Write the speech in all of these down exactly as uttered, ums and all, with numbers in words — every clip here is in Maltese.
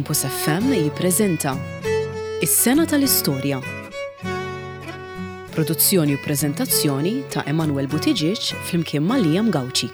Campus F M jippreżenta Is-Sena tal-Istorja. Produzzjoni u preżentazzjoni ta' Emanuel Buttigieg flimkien ma' Liam Gauci.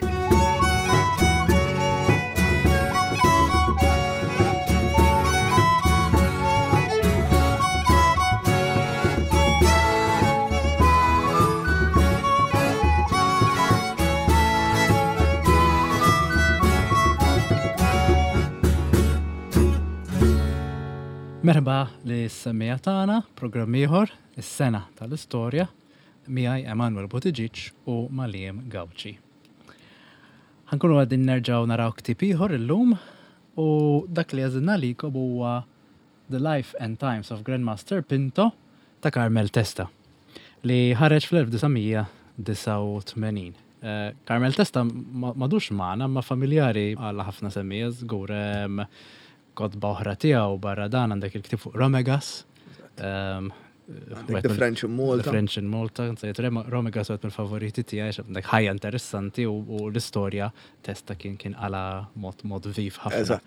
Merħba lis-semmiegħa tagħna, programm ieħor, is-sena tal-istorja, miegħi Emanuel Buttigieg u ma' Liam Gauci. Ħa nkunu qegħdin nerġgħu naraw ktieb ieħor illum u dak li għażilna lilkom huwa The Life and Times of Grandmaster Pinto ta' Carmel Testa li ħareġ fl-elf disa' mija disgħa u tmenin. Eh, Carmel Testa m'għadux magħna, ma familjari għal ħafna semmiegħa żgur kotba oħra tiegħu barra dan għandek il-ktieb fuq Romegas. Um, The French in Malta. The French in Malta, nsejt Romegas għet mill-favoriti tiegħi, għandek ħajja interessanti u l-istorja Testa kien kien għala mod mod viv ħafna.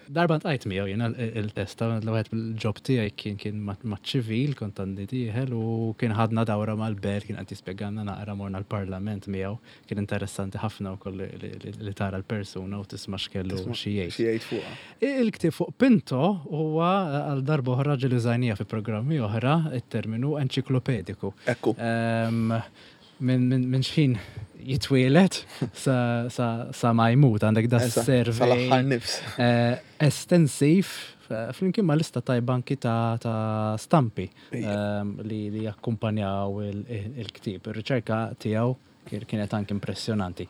Darba ltqajt miegħu jiena il-Testa, l-għed bil-job tiegħi kien kien maċ-ċivil, kont għandi dieħel u kien ħadna dawra mal-belt, kien qed jispjegana naqra, morna l-parlament miegħu, kien interessanti ħafna wkoll li tara l-persuna u tisma' x'kellu xi jgħid. Il-ktieb fuq Pinto huwa għal darba oħra ġieli użajnieh fi programmi oħra terminu enċiklopediku. Ekku. Minn min xħin jitwielet sa, sa, sa ma jmut għandek da survey nifs. Eh, estensiv flimkien ma' lista tajba anki ta', ta stampi li, li jakkumpanjaw il-ktieb. Il-riċerka tiegħu kienet anki impressjonanti.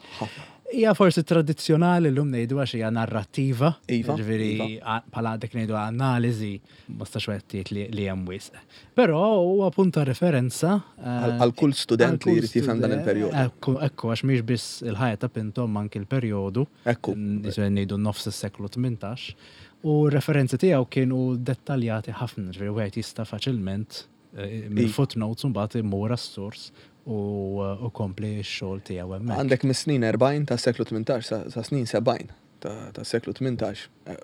Hija forsi tradizzjonali llum ngħidu għax hija narrattiva. Iva. Ġifieri iva. bħala dik ngħidu analiżi ma stax wieħed li, li hemm wisq. Però huwa punt ta' referenza eh, għal kull student li jrid jifhem dan il-perjodu. Ekku, ekku, għax mhix biss il-ħajja ta' Pinto anki il-perjodu. Ekku. Ngħidu nofs is-seklu tmintax. U referenzi tiegħu kienu dettaljati ħafna, ġifieri wieħed jista' faċilment eh, minn footnotes mbagħad imur għas-sors u kompli x-xogħol tiegħu hemmhekk. Għandek mis-snin erbgħin ta' seklu tmintax sa' snin sebgħin ta' seklu tmintax eh,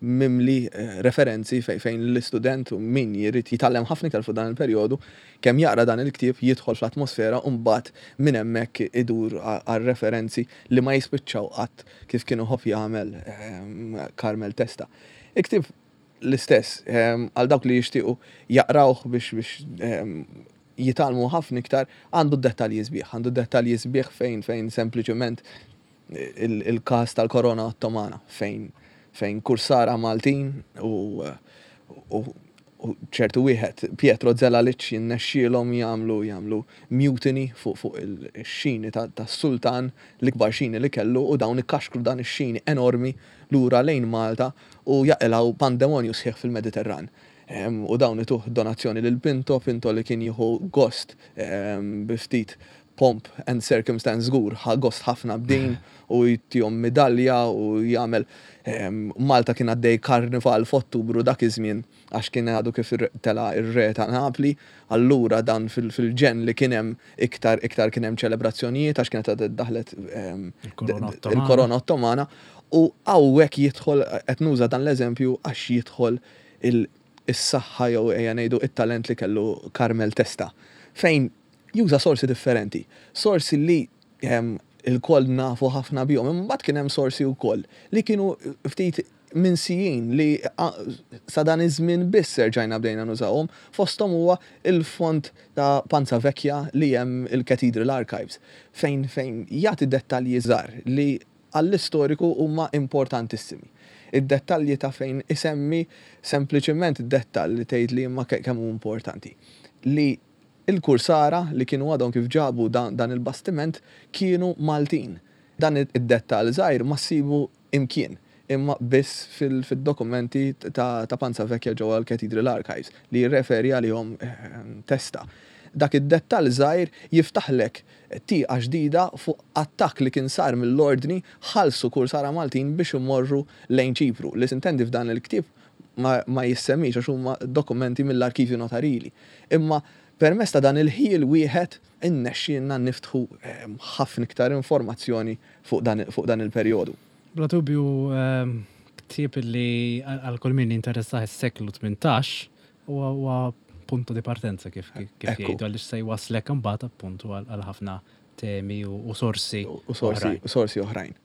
mimli eh, referenzi fejn l-istudent u min jrid jitgħallem ħafna iktar fuq dan il-perjodu, kemm jaqra dan il-ktieb jidħol fl-atmosfera u mbagħad minn hemmhekk idur għal referenzi li ma jispiċċaw qatt, kif kienu iħobb jagħmel ehm, Carmel Testa. Il-ktieb l-istess ehm, għal dawk li jixtiequ jaqrawh biex biex ehm, jitgħallmu ħafna iktar, għandu dettalji sbieħ, għandu dettalji sbieħ fejn fejn sempliċement il-kas tal-korona ottomana fejn fejn kursara Maltin u, u, u ċertu wieħed Pietro Zelalic jinnexxielhom jagħmlu jagħmlu mutiny fuq fuq il-xini tas-sultan, l-ikbar xini li kellu, u dawn ikkaxkru dan ix-xini enormi lura lejn Malta u jaqilgħu pandemonju sħiħ fil-Mediterran. U dawn ituh donazzjoni lil Pinto, Pinto li kien jieħu gost bi ftit pomp and circumstance żgur, ħa gost ħafna b'din u jtihom medalja u jagħmel. Malta kien għaddej karnival f'Ottubru dak iż-żmien għax kien għadu kif tela ir-re ta' Napli, allura dan fil-ġen li kien hemm iktar iktar kien hemm ċelebrazzjonijiet għax kienet daħlet il-korona ottomana u hawnhekk jidħol, qed nuża dan l-eżempju għax jidħol is-saħħa jew ejja ngħidu it-talent li kellu Carmel Testa fejn juża sorsi differenti. Sorsi li ilkoll nafu ħafna bihom, imma kien hemm sorsi wkoll li kienu ftit minsijin li sa dan iż-żmien biss erġajna bdejna nużawhom, fosthom huwa il-font ta' Panza Vecchia li hemm il-Cathedral Archives fejn fejn jagħti dettalji żgħar li għall-istoriku huma importantissimi. Id-dettalji ta' fejn isemmi sempliċement dettall li tgħid li imma kemm hu importanti. Li il-kursara li kienu għadhom kif ġabu dan, dan il-bastiment kienu Maltin. Dan id-dettall żgħir ma ssibu imkien imma biss fil-dokumenti ta', ta Panza Vecchia ġewwa l-Cathedral Archives li jirreferi għalihom eh, Testa. Dak id-dettall żgħir jiftaħlek tieqa ġdida fuq attakk li kien sar mill-ordni, ħallsu kursara Maltin biex imorru lejn Ċipru. Li sintendi f'dan il-ktieb ma, ma jissemmix għax huma dokumenti mill-arkivju notarili. Imma permezz ta' dan il-ħil wieħed innexxielna niftħu eh, ħafna iktar informazzjoni fuq dan, fuq dan il-perjodu. Bla dubju, ehm, Ktieb li għal kull min jinteressah is-seklu tmintax huwa punto di partenza kif kif jgħidu, għaliex se jwaslek imbagħad appuntu għal ħafna temi u sorsi u sorsi u sorsi oħrajn.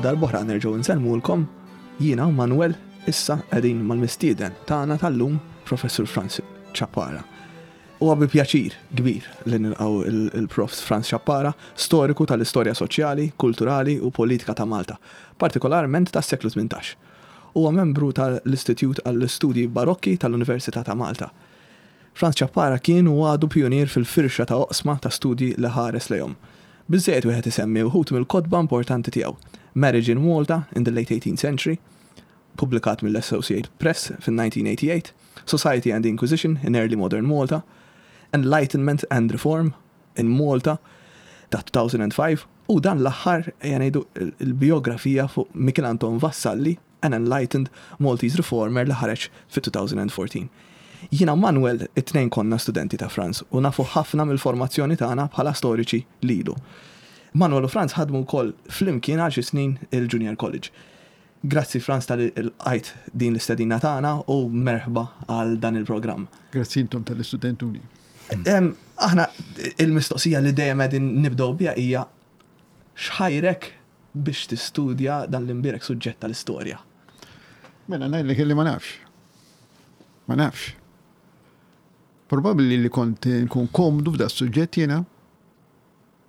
Darb'oħra nerġgħu nsellmulkom, jiena u Manuel issa qegħdin mal-mistieden tagħna tal-lum, Professur Frans Ciappara. Huwa bi pjaċir kbir li nilqgħu il-Prof Frans Ciappara, storiku tal-istorja soċjali, kulturali u politika ta' Malta, partikolarment tas-seklu tmintax. Huwa membru tal-Istitut għall-Istudji Barokki tal-Università ta' Malta. Frans Ciappara kien u għadu pionier fil-firxa ta' oqsma ta' studji li ħares lejhom. Biżżejjed wieħed isemmi wħud mill-kotba importanti tiegħu. Marriage in Malta in the Late eighteenth Century, publikat mill-Associated Press fin-nineteen eighty-eight, Society and the Inquisition in Early Modern Malta, Enlightenment and Reform in Malta ta' two thousand five, u dan l-aħħar ngħidu il-biografija fuq Michel Anton Vassalli, An Enlightened Maltese Reformer, li ħareġ fi two thousand fourteen. Jiena Manuel it-tnejn konna studenti ta' Frans u nafu ħafna mill-formazzjoni tagħna bħala storiċi lilu. Manuel u Frans ħadmu wkoll flimkien għal xi snin il-Junior College. Grazzi Frans tal-qajt din l-istedina tagħna u merħba għal dan il-programm. Grazzi intom tal-istudentuni. Aħna il-mistoqsija li dejjem qegħdin nibdew biha hija x'ħajrek biex tistudja dan l-imbierek suġġett tal-istorja? Mela ngħidlek li ma nafx. Ma nafx. Probabbli li kont nkun komdu f'da suġġett jiena,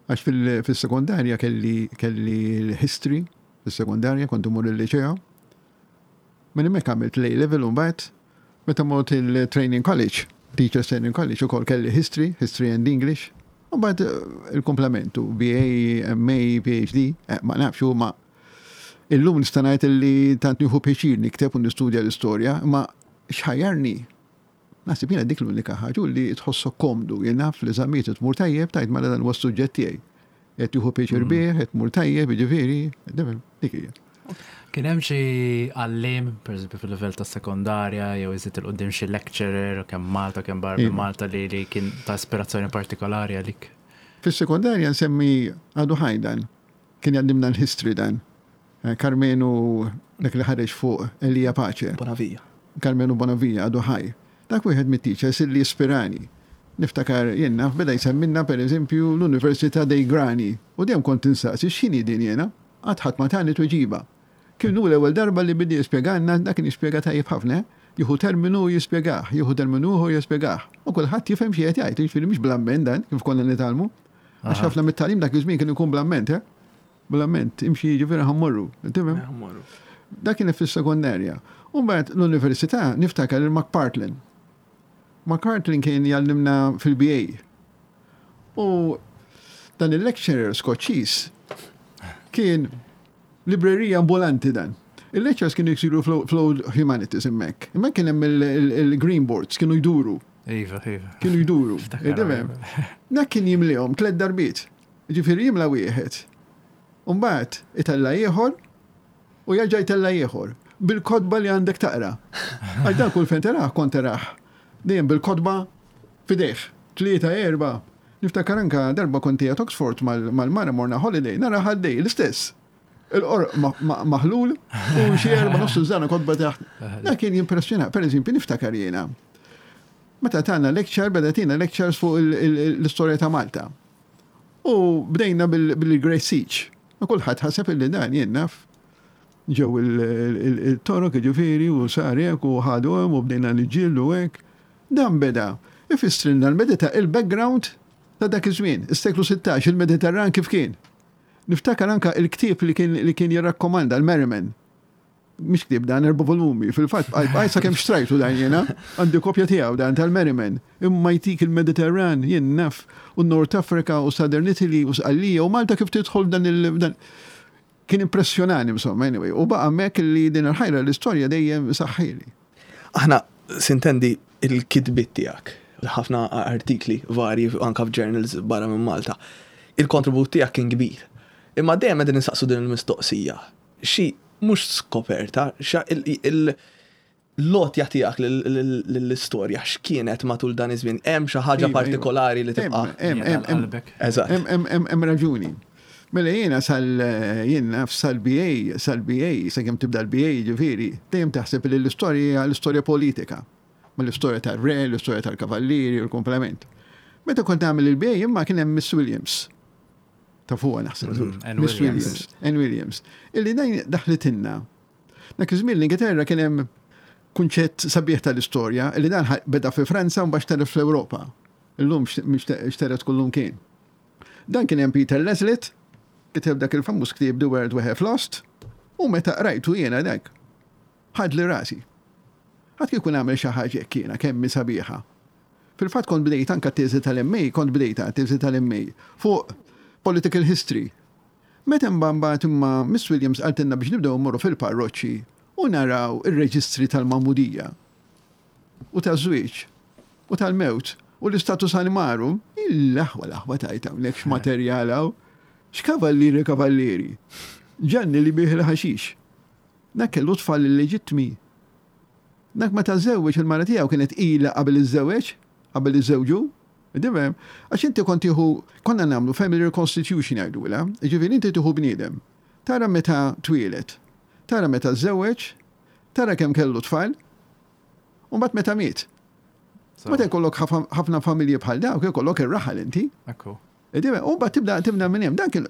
għax fil-sekondarja kelli kelli l-history, fis-sekondarja kont imur il-liċeo. Minn hemmhekk għamilt l-A level u mbagħad meta mort il-training college, Teachers Training College, ukoll kelli history, history and English, u mbagħad il-komplementu B A, M A, P H D, ma nafx u ma illum nista' ngħid li tant nieħu pjaċir nikteb u nistudja l-istorja, imma x'ħajjarni? Naħseb jiena dik l-unika ħaġa li tħossok komdu, jien naf li żamiet tmur tajjeb, tajt mela dan huwa s-suġġett tiegħi. Qed tieħu pjaċir bih, qed tmur tajjeb, jiġifieri, dik hija. Kien hemm xi għalliem, pereżempju fil-livell ta' sekondarja, jew iżid il quddiem xi lecturer, kemm Malta, kemm barra minn Malta, li li kien ta' ispirazzjoni partikolari għalik? Fis-sekondarja nsemmi għadu ħaj dan, kien jgħallimna l-history dan. Karmenu, dak li ħareġ fuq Elija Pace. Bonavia. Karmenu Bonavia għadu ħaj. Dak wieħed mit-teachers li ispirani. Niftakar jien naf beda jsemmilna pereżempju l-Università dei Grani u dejjem kont insaqsi x'inhi din jiena, qatt ħadd ma tani tweġiba. Kien hu l-ewwel darba li bidi jispjegalna, dak kien jispjega tajjeb ħafna, jieħu terminu jispjegah, jieħu terminu ieħor jispjegah. U kulħadd jifhem xi qed jgħid, jiġifieri mhux bl-amment dan kif konna nitgħallmu. Għax ħafna mit-tagħlim dak iż-żmien kien ikun bl-amment, eh? Bl-amment, imxi jiġifieri ħammorru, tifhem? Dak kien fis-sekondarja. U mbagħad l-università niftakar il-McPartlin. McPartlin kien jgħallimna fil-B A. U dan il-lecturer Skoċċiż kien librerija ambulanti dan. Il-lectures kienu jsiru fl-Old Humanities hemmhekk. Hemmhekk kien hemm il-green boards, kienu jduru. Iva, iva. Kienu jduru. Dak kien jimlihom tliet darbiet. Ġifieri jimla wieħed. U mbagħad itella' ieħor u jerġa' jtella' ieħor bil-kotba li għandek taqra. Għax dan kull fejn teraħ kont teraħ. Dejjem bil-kotba f'idejh. Tlieta, erba'. Niftakar anka darba kont qiegħed Oxford mal-mara morna holiday, nara ħaddej l-istess. Il-qorq maħlul u xi erba' nofs żana kotba taħt. Dak kien jimpressjona. Pereżempju niftakar jiena. Meta tagħna lecture, beda tina lectures fuq l-istorja ta' Malta. U bdejna bil-Great Siege. Ma kulħadd ħaseb illi dan jien naf ġew il-torok jiġifieri u sar hekk u ħadu hemm u bdejna niġġieldu hekk. Dan beda ifissrilna l-medita il-background ta' dak iż-żmien, is-seklu sittax, il-Mediterran kif kien. Niftakar anka il-ktieb li kien li kien jirrakkomanda l-Merriman. Mhix ktieb dan erba' volumi, fil-fatt bqajt sakemm xtrajtu dan jiena, għandi kopja tiegħu dan tal-Merriman. Imma jtik il-Mediterran jien naf u North Africa u Southern Italy u Sqallija u Malta kif tidħol dan il dan kien impressjonani insomma anyway. U baqa' hemmhekk li din il-ħajra l-istorja dejjem saħħili. Aħna sintendi il-kitbiet tiegħek, ħafna artikli varji anka f'journals barra minn Malta. Il-kontribut tiegħek kien kbir. Imma dejjem qegħdin insaqsu din il-mistoqsija. Xi mhux skoperta, xa l-għotja tiegħek lill-istorja x'kienet matul dan iż-żmien? Hemm xi ħaġa Iva, iva. partikolari li tibqa'? Hemm, hemm, hemm, Qalbek. Eżatt. hemm, hemm, hemm, hemm raġuni. Mela jiena sal jien naf sal-B A, sal-B A, sakemm tibda l-B A ġifieri, dejjem taħseb li l-istorja hija l-istorja politika. Ma l-istorja tal-re, l-istorja tal-kavallieri, u l-komplement. Meta kont nagħmel il-B A imma kien hemm Miss Williams. Ta' fuqha naħseb. Mm, Ann Miss Williams. Williams. Ann Williams. Illi dajn daħlitinna. Dak iż-żmien l-Ingilterra kien hemm kunċett sabiħ tal-istorja li dan ħa- beda fi Franza u mbagħad xtered fl-Ewropa. Illum xtered kullum kien. Dan kien hemm Peter Laslett, kiteb dak il-famuż ktieb The World We Have Lost, u meta qrajtu jiena dak, ħadli rasi. Ħadd kieku nagħmel xi ħaġa hekk jiena kemm hi sabiħa. Fil-fatt kont bdejt anka teżi tal-M A, kont bdejta teżi tal-M A fuq political history. Meta mbagħad imma Miss Williams qaltilna biex nibdew mmorru fil-parroċċi u naraw ir-reġistri tal-magħmudija u taż-żwieġ u tal-mewt u l-istatus animarum, il-aħwa l-aħwa tajta hawnhekk x'materjal hawn. X'kavallieri kavallieri. Ġanni li bih il-ħaxix. Dak kellu tfal illeġittmi. Dak meta żewweġ il-mara tiegħu kienet ilha qabel iż-żewġ, qabel iż-żewġu. Tifhem? Għax inti kont tieħu, konna nagħmlu family reconstitution jgħidulha, jiġifieri inti tieħu bniedem. Tara meta twieled, tara meta żewweġ, tara kemm kellu tfal, u mbagħad meta miet. Meta jkollok ħafna ħafna familji bħal dawk, jkollok ir-raħal inti. Ekku. Tifhem? U mbagħad tibda tibda minn hemm. Dan kien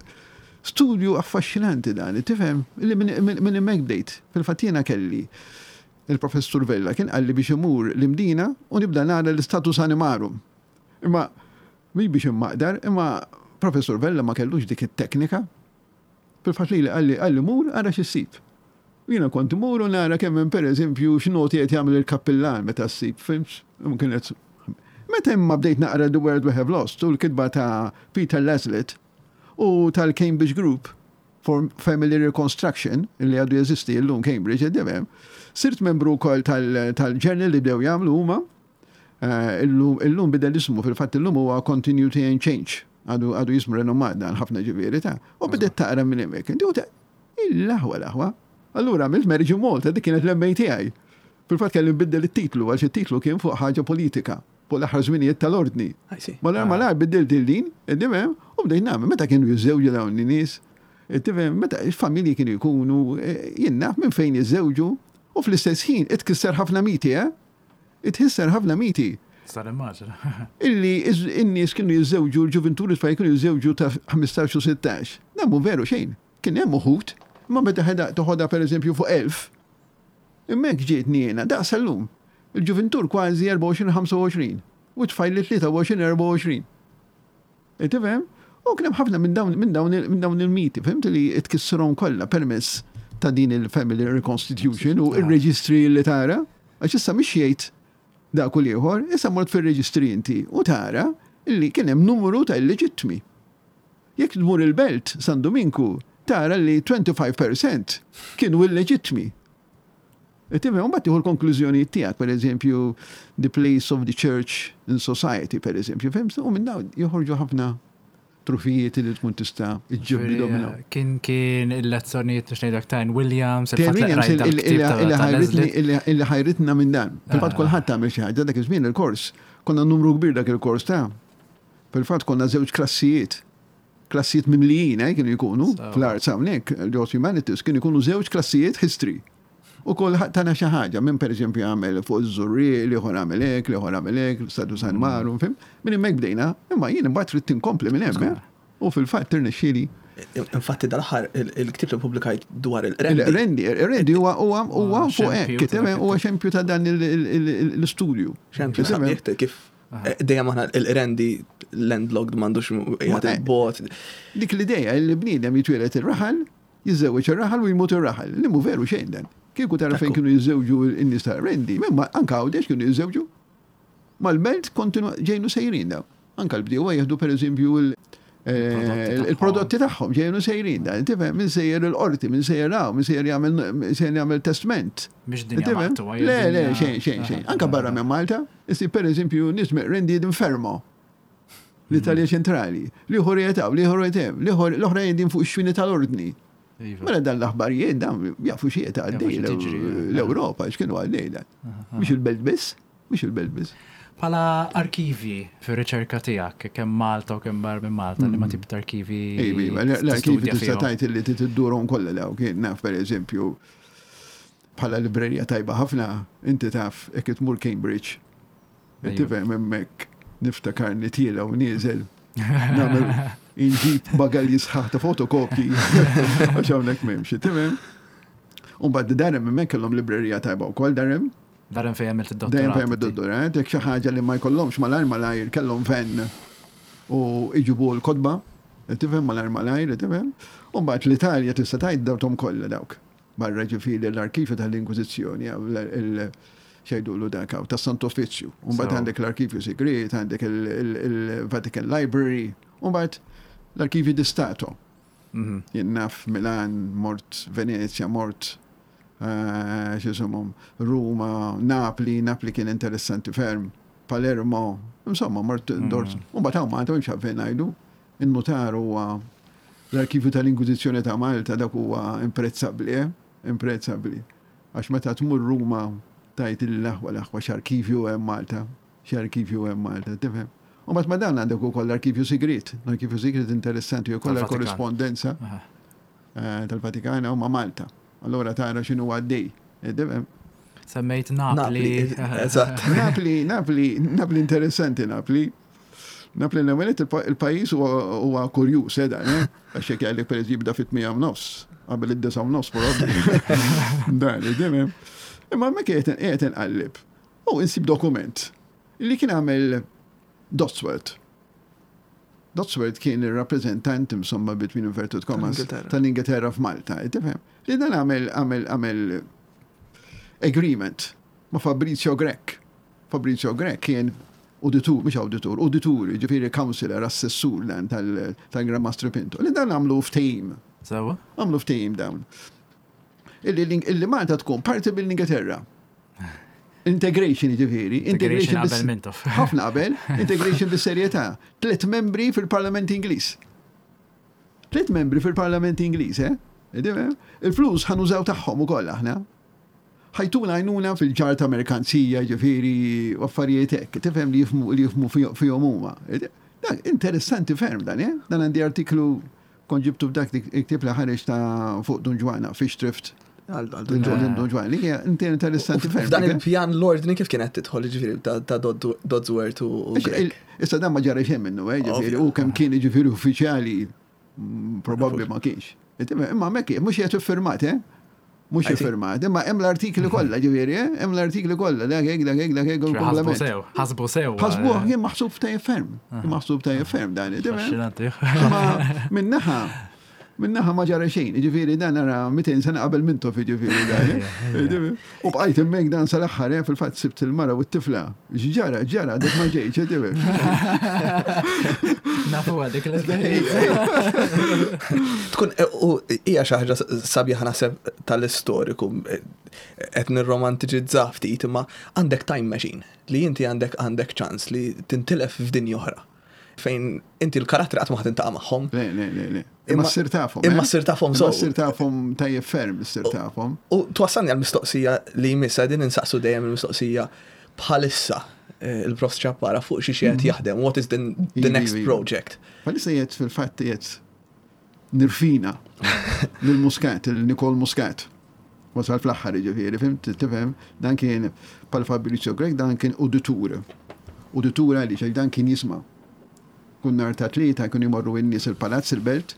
studju affaxxinanti dan, tifhem? Illi minn minn hemmhekk bdejt. Fil-fatt jiena kelli il-professur Vella kien qalli biex imur l-Imdina u nibda nara l-istatus animarum. Imma mhix biex immaqdar, imma professur Vella ma kellux dik it-teknika. Fil-fatt li qalli qalli mur ara x'issib. U jiena kont imur u nara kemm hemm pereżempju x'noti qed jagħmel il-kappillan meta ssib, fhimt? Kienet Meta imma bdejt naqra The World We Have Lost u l-kitba ta' Peter Laslett u tal-Cambridge Group for Family Reconstruction, li għadu jeżisti l-lum Cambridge, għeddemem, sirt membru wkoll tal-journal li bdew jagħmlu huma. Eh, Illum illum bidel ismu, fil-fatt illum huwa Continuity and Change. Għadu għadu jismu renomat dan ħafna ġifieri ta' u bdiet taqra minn hemmhekk. Inti u ta' il-aħwa l-aħwa. Allura għamilt Marriage in Malta, dik kienet l-M A tiegħi. Fil-fatt kelli nbiddel it-titlu għax it-titlu kien fuq ħaġa politika, fuq l-aħħar żminijiet tal-ordni. I see. Malar malar biddilt il-din, id-dimem, u bdejt nagħmel meta kienu jiżżewġu dawn in-nies, tifhem, meta il-familji kienu jkunu, eh, jien naf minn fejn jiżżewġu, u fl-istess ħin itkisser ħafna miti, eh? Itkisser ħafna miti. Sar immaġina. Illi iż- in-nies kienu jiżżewġu, l-ġuventuri tfal kienu jiżżewġu ta' ħmistax u sittax. Dan mhu veru xejn. Kien hemm uħud, imma meta ħeda toħodha pereżempju fuq elf, hemmhekk ġietni jiena, daqs illum. Il-ġuventur kważi erbgħa u għoxrin ħamsa u għoxrin u tfajli tlieta u għoxrin erbgħa u għoxrin. Tifhem? U kien hemm ħafna minn dawn minn dawn minn dawn il-miti, fhimt, li tkissirhom kollha permezz ta' din il-family reconstitution u il-reġistri li tara. Għax issa mhix jgħid dak u ieħor, issa mort fir-reġistri inti u tara illi kien hemm numru ta' illeġittmi. Jekk tmur il-belt San Dominku, tara li twenty-five percent kienu illeġittmi. Tifhem, u mbagħad tieħu l-konklużjoni tiegħek, per eżempju, the place of the church in society, per eżempju, fhimt? U minn dawn joħorġu ħafna trufijiet li tkun tista' iġġibdilhom minn hawn. Kien kien il-lezzjonijiet biex ngħidlek ta' Williams, Tim il-fatt li Williams qrajt dal-ktieb ta' illi ta' ħajritni Laslett. illi ħajritna minn dan. Fil-fatt Ah. kulħadd tagħmel xi ħaġa dak iż-żmien il-kors. Konna numru kbir dak il-kors ta'. Fil-fatt konna żewġ klassijiet. Klassijiet mimlijin, eh, kienu jkunu So. fl-arts hawnhekk, l Humanities, kienu jkunu żewġ klassijiet history. U kulħadd tana xi ħaġa, minn pereżempju għamel fuq iż-Żurrieq, l-ieħor għamel hekk, l-ieħor għamel hekk, l-Statu San Maru, fhimt? Minn hemmhekk bdejna, imma jien imbagħad trid tinkompli minn hemm, eh? U fil-fatt tirnexxieli. Infatti dal-aħħar il-ktib li publikajt dwar il-Rendi. Il-Rendi, il-Rendi huwa huwa huwa Ah, fuq xempju hekk, ta' tifhem, dak huwa xempju ta' dan il- il- il- l-istudju. Xempju Tifhem? sabiħ kif eh, dejjem aħna il-Rendi landlocked m'għandux qiegħed Ma- il-bot. Dik l-idea li bniedem jitwieled ir-raħal, jiżżewweġ ir-raħal u jmut ir-raħal. Li mhu veru xejn dan. Kieku tara fejn Ekku. kienu jiżżewġu n-nies ta' Rendi, imma anka Għawdex kienu jiżżewġu. Mal-belt kontinu ġejnu sejrin daw. Anka l-bdiewa jieħdu pereżempju eh, il-prodotti tagħhom ġejjin u sejrin dan, tifhem, min sejjer il-qorti, min sejjer hawn, min sejjer jagħmel min sejjer jagħmel testment. Mhix dinja Tifhem? maqtugħa, hija Le, le, dinja- xejn, xejn, xejn. Anka barra minn Malta, issib per eżempju nies rendi Fermo. L-Italja ċentrali, l-ieħor jetaw, l-ieħor jetem, l-oħra jedin fuq ix-xwini tal-ordni. Iva. Mela dan l-aħbarijiet dan jafu xi qed għaddej Jafu xi tiġri, l-Ewropa, x'kienu għaddej dan. Mhux il-belt biss, mhux il-belt biss. Bħala arkivi fir-riċerka tiegħek, kemm Malta u kemm barra minn Malta, li ma tip ta' arkivi Ejbi, l-arkivi tistudja tista' fihom. tajt li tiddurhom kollha daw kien naf pereżempju bħala librerija tajba ħafna, inti taf jekk tmur Cambridge. Ejju. Tifhem hemmhekk niftakar nitiela u nieżel. Nagħmel inġib bagalji sħaħ ta' fotokopji għax hawnhekk m'hemmx, tifhem? U mbagħad Durham hemmhekk kellhom librerija tajba wkoll Durham. Durham fejn għamilt id-dottorat. Dejjem fejn id-dottorat, jekk xi ħaġa li ma jkollhomx malajr malajr kellhom fen u iġibu l-kotba, tifhem malajr malajr, tifhem. U mbagħad l-Italja tista' tgħid dawthom kollha dawk. Barra ġifieri l-arkivju tal-Inkwiżizzjoni, xejdulu dak hawn, tas-Santo Offizzju. U mbagħad So. għandek l-arkivju segret, għandek il-Vatican Library, u mbagħad l-arkivju di Stato. Mhm. Jien naf Milan, mort Venezia, mort eh, x'jisimhom, Ruma, Napli, Napli kien interessanti ferm, Palermo, insomma, mort dort. U mbagħad hawn Malta mhux għalfejn ngħidu, in-notar huwa l-arkivju tal-Inkwiżizzjoni ta' Malta dak huwa imprezzabbli, eh? Imprezzabbli. Għax meta tmur Ruma tajt l-aħwa l-aħwa x'arkivju hemm Malta, x'arkivju hemm Malta, tifhem? U mbagħad ma dan għandek ukoll l-arkivju sigriet, l-arkivju sigriet interessanti ukoll Tal-Vatikan. korrispondenza Aha. eh, tal-Vatikan u ma' Malta. Allora tara x'inhu għaddej. Eh, tifhem? Semmejt Napli. Napli, eżatt. Napli, Napli, Napli interessanti, Napli. Napli l-ewwel il-pajjiż huwa huwa kurjuż, eh, dan, eh? Għax jekk jgħidlek pereżempju jibda fit-tmija u nofs, qabel id-disa u nofs probabbli. Dan, tifhem? Imma hemmhekk qiegħed qiegħed inqallib. U insib dokument li kien għamel Dodsworth. Dodsworth kien il-rappresentant insomma between inverted commas Tal-Ingilterra. tal-Ingilterra f'Malta, tifhem? Li dan għamel għamel għamel agreement ma' Fabrizio Grech. Fabrizio Grech kien auditur, mhux auditur, auditur, ġifieri counselor, assessur dan tal- tal-Gran Mastro Pinto. Li dan għamlu ftehim, Sewa? għamlu ftehim dawn. Illi, illi Malta tkun parti mill-Ingilterra. Integration ġifieri. Integration bis- qabel Mintoff. Ħafna qabel, integration bis-serjetà. Tliet membri fil-Parlament Ingliż. Tliet membri fil-Parlament Ingliż, eh? Il-flus ħa nużaw tagħhom ukoll aħna. Ħa jtuna għajnuna fil-ġarr ta' merkanzija, ġifieri, u affarijiet hekk, tifhem li jifhmu li jifhmu fihom huma. Dan interessanti ferm dan, eh? Dan għandi artiklu kont ġibtu f'dak il-ktieb li ħareġ ta' fuq Dun Ġwana, Fish Thrift. Għal- għal Dun Dun Ġwana. Dun Ġwana, li hija interessanti ferm. F'dan dik, eh? il-pjan l-ordni kif kienet tidħol ġifieri ta' ta' Dodd- Dodsworth u u Għax Grech? il- Issa dan ma ġara xejn minnu, eh, ġifieri, Ovvja. u kemm kien ġifieri uffiċjali, mm, probabbli ma kienx. Imma hemmhekk mhux qed iffirmat, eh? Mhux I see. iffirmat, imma hemm l-artikli kollha, ġifieri, eh? Hemm l-artikli kollha, dak hekk, dak hekk, dak hekk, u Ħasbu l-komplement. sew, ħasbu sew. Ħasbuh kien maħsub tajjeb ferm, kien maħsub tajjeb ferm dan, tifhem? Affaxxinanti. Imma minnaħa, minnaħa ma ġara xejn, ġifieri dan ara mitejn sena qabel Mintoff ġifieri dan. eh? Ġifieri, U bqajt hemmhekk dan sal-aħħar, eh, fil-fatt sibt il-mara u t-tifla. Ġara, ġara, dik ma ġejx, ġifieri. Nafu għadik l-esperienza. Tkun e, u hija xi ħaġa sabiħa naħseb tal-istoriku e, qed nirromantiċizza ftit imma għandek time machine li inti għandek għandek ċans li tintilef f'dinja oħra fejn inti l-karattri qatt ma ħa tiltaqa' magħhom. Le, le, le, le. Imma Imma- ssir tafhom. imma eh? ssir tafhom Imma sew. ssir tafhom tajjeb ferm, ssir tafhom. U twassalni għal-mistoqsija li jmissa din insaqsu dejjem il-mistoqsija bħalissa eh, il-Prof Ciappara fuq xi xi qed jaħdem, what is the, the Ivi, next ivi. project? Bħalissa qiegħed fil-fatt qiegħed nirfina lil Muscat, il-Nicole Muscat. Wasal fl-aħħar ġifieri, fimt, tifhem, dan kien bħal Fabrizio Grech, dan kien uditur. Uditur għaliex għax dan kien jisma'. Kull nhar ta' tlieta kienu jmorru n-nies il-palazz il-belt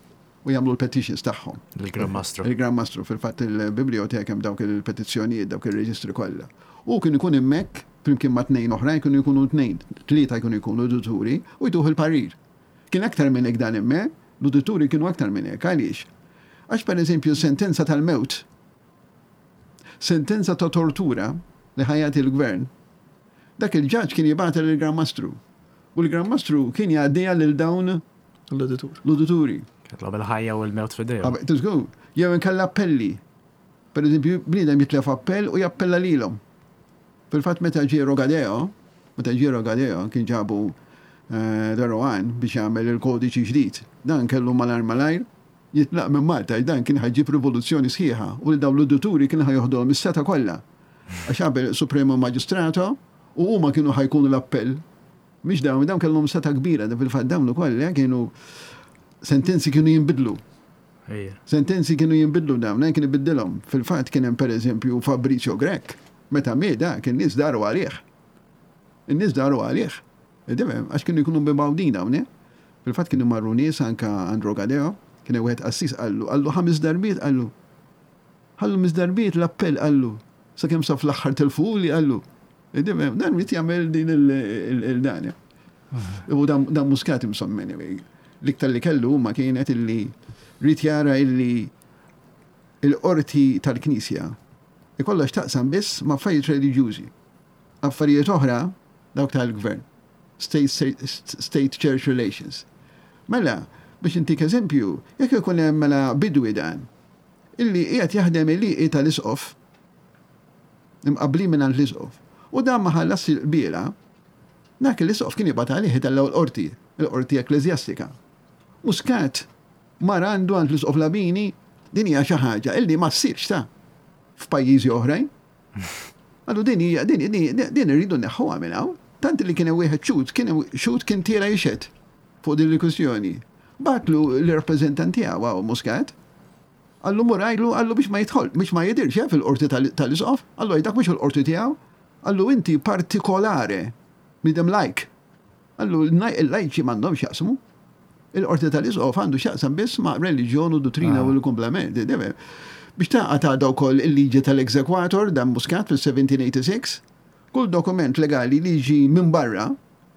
u jagħmlu l-petitions tagħhom. Il-Gran Mastru. Il-Gran Mastru fil-fatt il-biblioteka hemm dawk il-petizzjonijiet, dawk il-reġistri kollha. U kien ikun hemmhekk flimkien ma' tnejn oħrajn kienu jkunu tnejn, tlieta jkunu jkunu udituri u jtuh il-parir. Kien aktar minn hekk dan hemmhekk, l-udituri kienu aktar minn hekk, għaliex? Għax per eżempju sentenza tal-mewt, sentenza ta' tortura li ħa jagħti il-gvern, dak il-ġaġ kien jibgħatha lill-Gran Mastru. U l-Gran Mastru kien jgħaddiha lil dawn L-auditur. L-udituri. Kellhom il-ħajja u l-mewt f'idejhom. Tiżgur, jew inkella appelli. Per eżempju, bniedem jitlef appell u jappella lilhom. Fil-fatt meta ġie Rogadeo, meta ġie Rogadeo kien ġabu eh, de Rohan biex jagħmel il-kodiċi ġdid. Dan kellu malajr malajr jitlaq minn Malta, dan kien ħa jġib rivoluzzjoni sħiħa u li dawn l-udituri kien ħa joħdulhom is-setgħa kollha. Għax qabel Supremo Magistrato u huma kienu ħa jkunu l-appell. Mhix dawn, dawn kellhom setgħa kbira, da fil-fatt dawn ukoll eh, kienu sentenzi kienu jinbidlu. Ejja. Sentenzi kienu jinbidlu dawn, eh, kien ibiddilhom. Fil-fatt kien hemm pereżempju Fabrizio Grech, meta miet da kien nies daru għalih. In-nies daru għalih. Tifhem, għax kienu jkunu mibgħudin dawn, eh? Fil-fatt kienu marru nies anka għand Rogadeo, kien hemm wieħed qassis qallu, qallu ħames darbiet qallu. Qallu ħames darbiet l-appell qallu. Sakemm sa fl-aħħar telfuli qallu. Tifhem, dan ried jagħmel din il-dan. U dan dan Muscat insomma anyway. L-iktar li kellu huma kienet illi ried jara illi il-qorti tal-Knisja ikollha x'taqsam biss ma' affarijiet reliġjużi. Affarijiet oħra dawk tal-gvern. State, state Church Relations. Mela, biex intik eżempju, jekk ikun hemm mela bidwi dan, illi qiegħed jaħdem il tal-isqof, imqabbli minn għand l-isqof, u dan ma ħallas il-qbiela, dak l-isqof kien jibgħat għalih itellgħu l-qorti, il-qorti ekkleżjastika. Muscat mar għandu għand l-isqof Labini, din hija xi ħaġa illi ma ssirx ta' f'pajjiżi oħrajn. Għallu din hija din din din irridu neħħuha minn hawn. Tant li kien hemm wieħed xhud, kien hemm xhud kien tiela jixhed fuq din il-kwistjoni. Bagħatlu l-rappreżentant tiegħu hawn Muscat. Qallu mur għidlu, qallu biex ma jidħol, biex ma jidirx eh, fil-qorti tal-isqof, qallu dak mhux il-qorti tiegħu. Qallu inti partikolare, bniedem lajk. Qallu il-lajċi m'għandhomx jaqsmu. Il-qorti tal-isqof għandu x'jaqsam biss ma' reliġjon u dottrina u l-komplement. Biex taqa ta' daw koll il-liġi tal-exequatur dan Muscat fil-seventeen eighty-six, kull dokument legali li jiġi minn barra,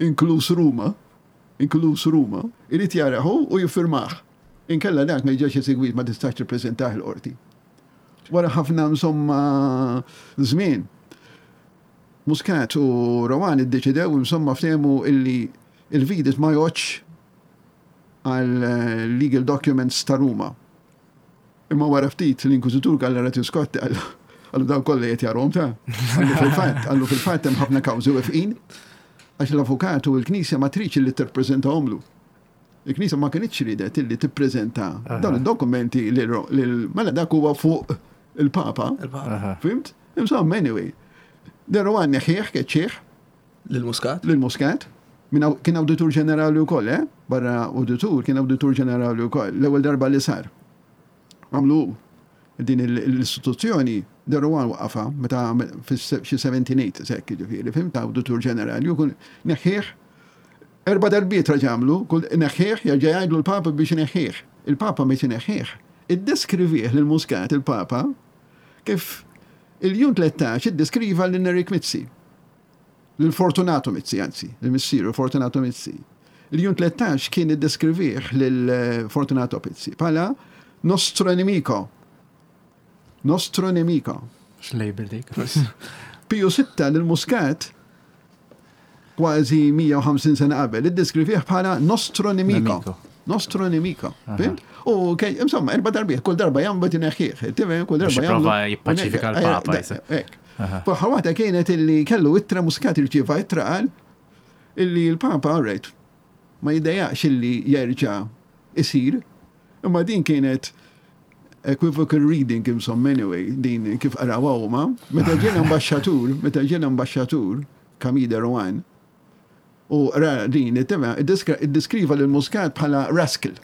inkluż Ruma, inkluż Ruma, irid jarahu u jiffirmah. Inkella dak ma jiġix esegwit, ma tistax tippreżentah il-qorti. Wara ħafna insomma żmien, Muscat u Rohan iddeċidew, insomma ftehmu illi il-vidit ma jgħoddx għal eh, legal documents ta' Ruma. Imma wara ftit l-inkwiżitur Gallarati Scotti qallu qallu dawn kollha qed jarhom ta' qallu fil-fatt, qallu fil-fatt hemm ħafna kawżi wefqin għax l-avukat u l-Knisja ma tridx li tippreżentahomlu. Il-Knisja ma kinitx ridet illi tippreżenta dawn id-dokumenti lil mela dak huwa fuq il-Papa. Il-Papa. Fhimt? Insomma, anyway. De Rohan neħħieħ, keċċieħ, Lil-Muscat? Lil-Muscat. Min aw- Kien awditur ġenerali wkoll, eh? Barra auditur, kien awditur ġenerali wkoll. L-ewwel darba li sar. Għamlu din il- l-istituzzjoni, De Rohan waqafa meta fix xi seventeen eight sekk ġifieri, fhimt, awditur ġenerali, u kun neħħieħ erba' darbiet raġamlu, kull neħħieħ jerġa' jgħidlu l-Papa biex neħħieħ. Il-Papa biex neħħieħ. Iddeskrivih lil Muscat il-Papa kif il-Ljun tlettax iddeskriva lil Nerik Mizzi. Lil Fortunato Mizzi, anzi, lil missieru Fortunato Mizzi. Il-Ljun tlettax kien iddeskrivih lil eh, Fortunato Mizzi bħala nostro nemico. Nostro nemico. X'label dik. Piju Sitta lil Muscat kważi mija u ħamsin sena qabel iddeskrivih bħala nostro nemico. Nemico. Nostro nemico. Fhimt? U kej, insomma, erba' darbiet, kull darba jagħmlu tineħħieħ. Tifhem, kull Biex darba jipprova jagħmlu. jippaċifika l-Papa, Eh, jisa. Hekk. F'aħħar waħda kienet illi kellu ittra, Muscat irċieva ittra, qal illi l-Papa, alright, ma jiddejjaqx illi jerġa' isir, imma din kienet equivocal reading, insomma, anyway, din kif qarawha huma. Meta ġie l-ambaxxatur, meta ġie l-ambaxxatur Camille de Rohan, u ra din, it-tema, iddeskriva lil Muscat bħala rascal.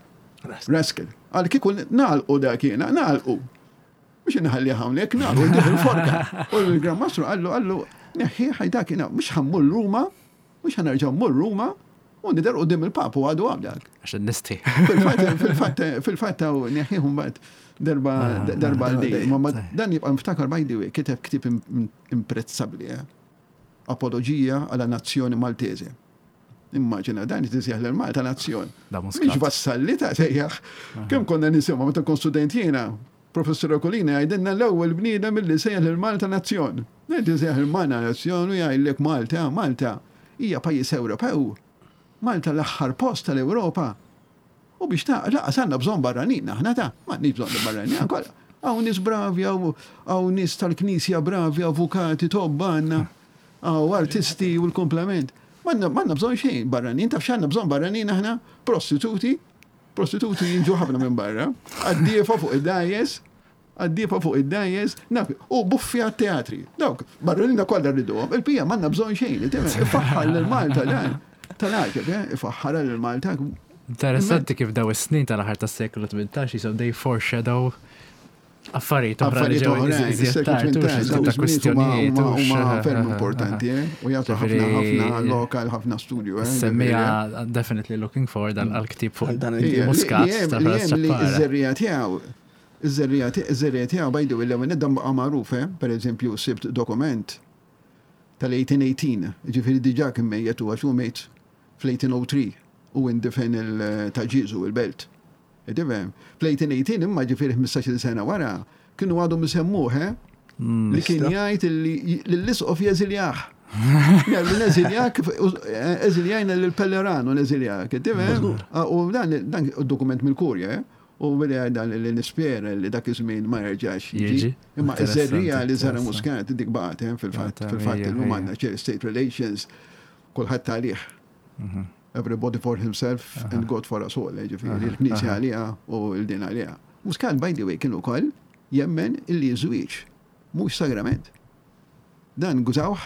Rascal. Għal kieku nagħlqu dak jiena, nagħlqu. Mhux inħalli hawnhekk, nagħlqu ntih il-forka. U l-Gran Mastru qallu qallu neħħi ħajdak jiena, mhux ħa mmur Ruma, mhux ħa nerġa' mmur Ruma u nidher quddiem il-Papa u għadu għabdak. Għax nisti. Fil-fatt, fil-fatt, fil-fatt hawn neħħihom bad darba darba għal dejjem. Ma dan jibqa' niftakar, by the way, kiteb ktieb im- imprezzabbli, eh? Apologija alla nazione maltese. Immaġina, dan jtisjaħ l-Malta nazzjon. Da Mhix Muscat. vassalli ta' sejjaħ. Kemm konna nisimgħu meta kont student jiena, Professor Okolina jgħidilna l-ewwel bniedem milli sejjaħ lil Malta nazzjon. Ngħid sejjaħ il-Malta nazzjon u jgħidlek Malta, Malta hija pajjiż Ewropew. Malta l-aħħar post tal-Ewropa. U biex ta' lanqas għandna bżonn barranin, aħna ta' m'għandniex bżonn barranin, kollha. Hawn nies bravi, hawn nies tal-knisja bravi, avukati, tobba għandna, hawn artisti u l-komplement. M'għandna bżonn xejn barranin, taf x'għandna bżonn barranin aħna? Prostituti, prostituti jiġu ħafna minn barra, qaddiefa fuq id-dgħajjes, qaddiefa fuq id-dgħajjes, u buffi għat-teatri. Dawk, barranin kollha rriduhom, il-bqija m'għandna bżonn xejn, ifaħħar lil Malta dan. Tal-għaġeb, ifaħħar lil Malta. Interessanti kif daw is-snin tal-aħħar tas-seklu tmintax jisom they foreshadow affarijiet oħra li ġew iżjed tard, ta' kwistjonijiet. Huma ferm importanti, u jagħtu ħafna ħafna lokal, ħafna studju. Semmija definitely looking forward għal-ktieb fuq dan il-Muscat ta' Iż-żerriegħa tiegħu, iż-żerriegħa tiegħu bajdu il-ewwel dan baqa' magħruf, per eżempju sibt dokument tal-eighteen eighteen, ġifieri diġà kien mejjet u għax hu mejt fl-eighteen oh three u indifen Ta' Ġieżu il-belt. Tifhem, fl-eighteen eighteen imma ġifieri ħmistax-il sena wara kienu għadhom isemmuh, li kien jgħid li l-isqof jeżiljah. Jgħid neżiljak, eżiljajna l-Pellerano neżiljak, tifhem? U dan dokument mill-Kurja, u billi dan li nispera li dak iż-żmien ma jerġax jiġi. Imma iż-żerriegħa li żara Muscat dik baqgħet fil-fatt, fil-fatt illum għandna state relations kulħadd għalih. Everybody for himself and God for us all, ġifieri, il-Knisja għaliha u l-din għaliha. Muscat, by the way, kien ukoll jemmen illi żwieġ mhux sagrament. Dan gużawh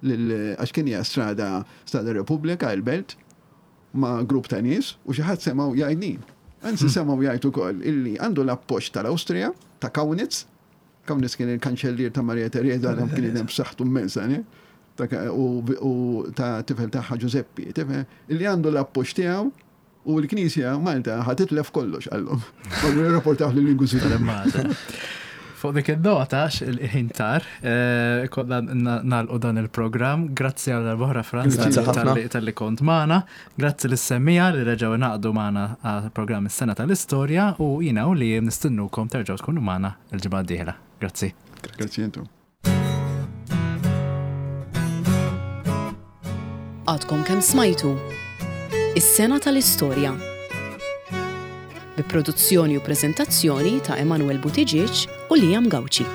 għax kien hija strada Strada Repubblika il-Belt ma' grupp ta' nies u xi ħadd semgħu jgħidnin. Anzi semgħu jgħid ukoll illi għandu l-appoġġ tal-Awstrija, ta' Kaunitz. Kaunitz kien il-kanċellier ta' Maria Teresa, dan kien hemm b'saħħtu immensa, u ta' tifel tagħha Giuseppe, tifel, illi għandu l-appoġġ tiegħu u l-Knisja Malta ħa titlef kollox għallhom. Marru jirrapportaw lill-Inkwiżitur. Fuq dik il-nota, il-ħin tar, konna nagħlqu dan il-program. Grazzi għal darb'oħra, Frans, talli kont magħna. Grazzi lis-semmiegħa li reġgħu ngħaqdu magħna għal-program is-sena tal-istorja u jiena u li nistennukom terġgħu tkunu magħna il-ġimgħa d-dieħla. Grazzi. Grazzi intom. Għadkom kemm smajtu Is-sena tal-istorja. Bi produzzjoni u prezentazzjoni ta' Emanuel Buttigieg u Liam Gauci.